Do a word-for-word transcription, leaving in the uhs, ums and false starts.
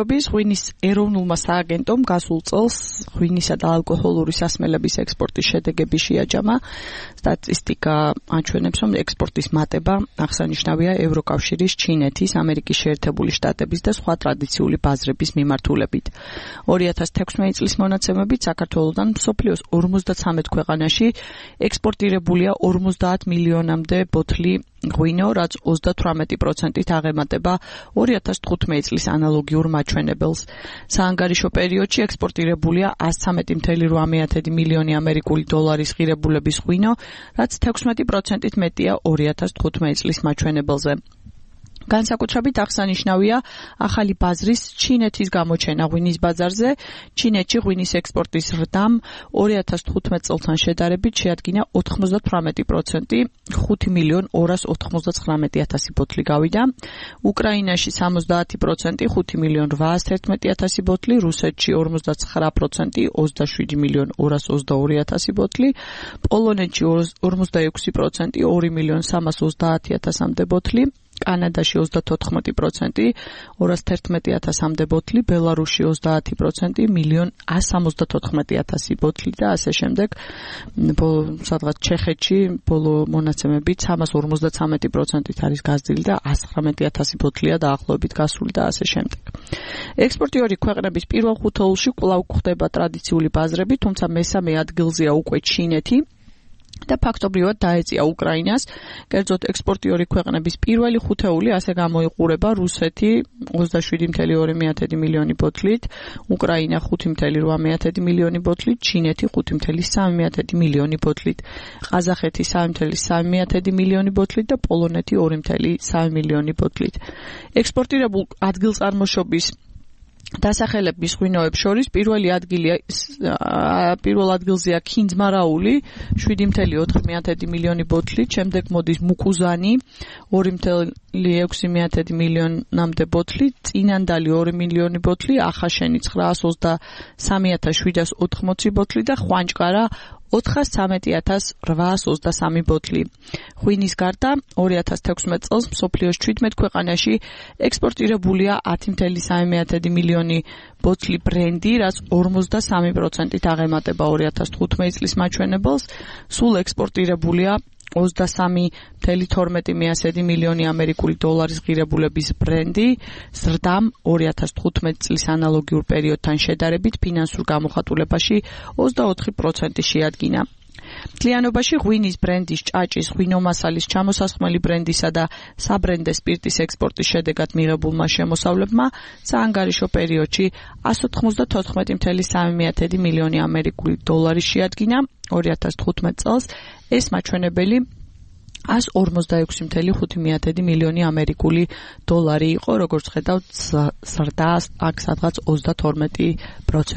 ღვინის ეროვნულმა სააგენტომ გასულ წელს ღვინისა და ალკოჰოლური სასმელების ექსპორტის შედეგები შეაჯამა. სტატისტიკა აჩვენებს, რომ ექსპორტის მატება აღსანიშნავია ევროკავშირის, ჩინეთის, ამერიკის შეერთებული შტატების და სხვა ტრადიციული ბაზრების მიმართულებით. ორი ათას თექვსმეტი წლის მონაცემებით საქართველოდან მსოფლიოს ორმოცდათვრამეტ ქვეყანაში ექსპორტირებულია ორმოცდაათ მილიონამდე ბოთლი ღვინო, რაც ოცდათვრამეტი პროცენტით აღემატება ორი ათას თხუთმეტი წლის ანალოგიურ მაჩვენებელს. საანგარიშო პერიოდში ექსპორტირებულია ასი წამეტი რვამეათი მილიონი ამერიკული დოლარის ღირებულების ღვინო, რაც თექვსმეტი პროცენტით მეტია ორი ათას თხუთმეტი წლის მაჩვენებელზე. განსაკუთრებით აღსანიშნავია ახალი ბაზრის ჩინეთის გამოჩენა ღვინის ბაზარზე. ჩინეთში ღვინის ექსპორტის ზრდამ ორი ათას თხუთმეტ წელთან შედარებით შეადგინა ოთხმოცდათვრამეტი პროცენტი, ხუთი მილიონ ორას ოთხმოცდაცხრამეტი ათასი ბოთლი გავიდა. უკრაინაში სამოცდაათი პროცენტი, ხუთი მილიონ რვაას თერთმეტი ათასი ბოთლი, რუსეთში ორმოცდაცხრა პროცენტი, ოცდაშვიდი მილიონ ორას ოცდაორი ათასი ბოთლი, პოლონეთში ორმოცდაექვსი პროცენტი, ორი მილიონ სამას ოცდაათი ათასამდე ბოთლი, კანადაში ოცდათოთხმეტი პროცენტი, ორას თერთმეტი ათასამდე ბოთლი, ბელარუსში ოცდაათი პროცენტი, მილიონ სამოცდათოთხმეტი ათასი ბოთლი და ასე შემდეგ. სადღაც ჩეხეთში ბოლო მონაცემებით სამას ორმოცდაცამეტი პროცენტით არის გაზრდილი და ასი ცხრამეტი ათასი ბოთლია დაახლოებით გასული და ასე შემდეგ. ექსპორტიორი ქვეყნების პირველ ხუთეულში კვლავ გვხვდება ტრადიციული ბაზრები, თუმცა მესამე ადგილზეა უკვე ჩინეთი და ფაქტობრივად დაეწია უკრაინას. კერძოდ ექსპორტიორი ქვეყნების პირველი ხუთეული ასე გამოიყურება: რუსეთი ოცდაშვიდი მილიარდი ორი მილიონი ბოთლით, უკრაინა ხუთი მილიარდი რვა მილიონი ბოთლით, ჩინეთი ხუთი მილიარდი სამი მილიონი ბოთლით, ყაზახეთი სამი მილიარდი სამი მილიონი ბოთლით და პოლონეთი ორი მილიარდი სამი მილიონი ბოთლით. ექსპორტირებულ ადგილწარმოშობის დასახელების ღვინოებს შორის პირველი ადგილია პირველ ადგილზეა ქინძმარაული შვიდი მილიარდი ოთხი მილიონი ბოთლით, შემდეგ მოდის მუკუზანი ორი მილიარდი ექვსი მილიონამდე ბოთლი, წინანდალი ორი მილიონი ბოთლი, ახაშენი ცხრაას ოცდასამი ათას შვიდას ოთხმოცი ბოთლი და ხვანჭყარა ოთხას ცამეტი ათას რვაას ოცდასამი ბოთლი. ღვინის გარდა ორი ათას თექვსმეტ წელს მსოფლიოს ჩვიდმეტ ქვეყანაში ექსპორტირებულია ათი მილიარდი სამი მილიონი ბოთლი ბრენდი, რაც ორმოცდასამი პროცენტით აღემატება ორი ათას თხუთმეტი წლის მაჩვენებელს. სულ ექსპორტირებულია ოცდასამი მილიარდი თორმეტი მილიონი ამერიკული დოლარის ღირებულების ბრენდი, ზრდამ ორი ათას თხუთმეტი წლის ანალოგიურ პერიოდთან შედარებით ფინანსურ გამოხატულებაში ოცდაოთხი პროცენტი შეადგინა. მთლიანობაში ღვინის ბრენდის, ჭაჭის, ღვინომასალის, ჩამოსასხმელი ბრენდისა და საბრენდე სპირტის ექსპორტის შედეგად მიღებულმა შემოსავლებმა საანგარიშო პერიოდში ასი ოცდათოთხმეტი მილიარდი სამი მილიონი ამერიკული დოლარი შეადგინა. ორი ათას თხუთმეტ წელს ეს მაჩვენებელი ასი ორმოცდაექვსი მილიარდი ხუთი მილიონი ამერიკული დოლარი იყო, როგორც ხედავთ, ზრდა აქ სადღაც ოცდათორმეტი პროცენტი.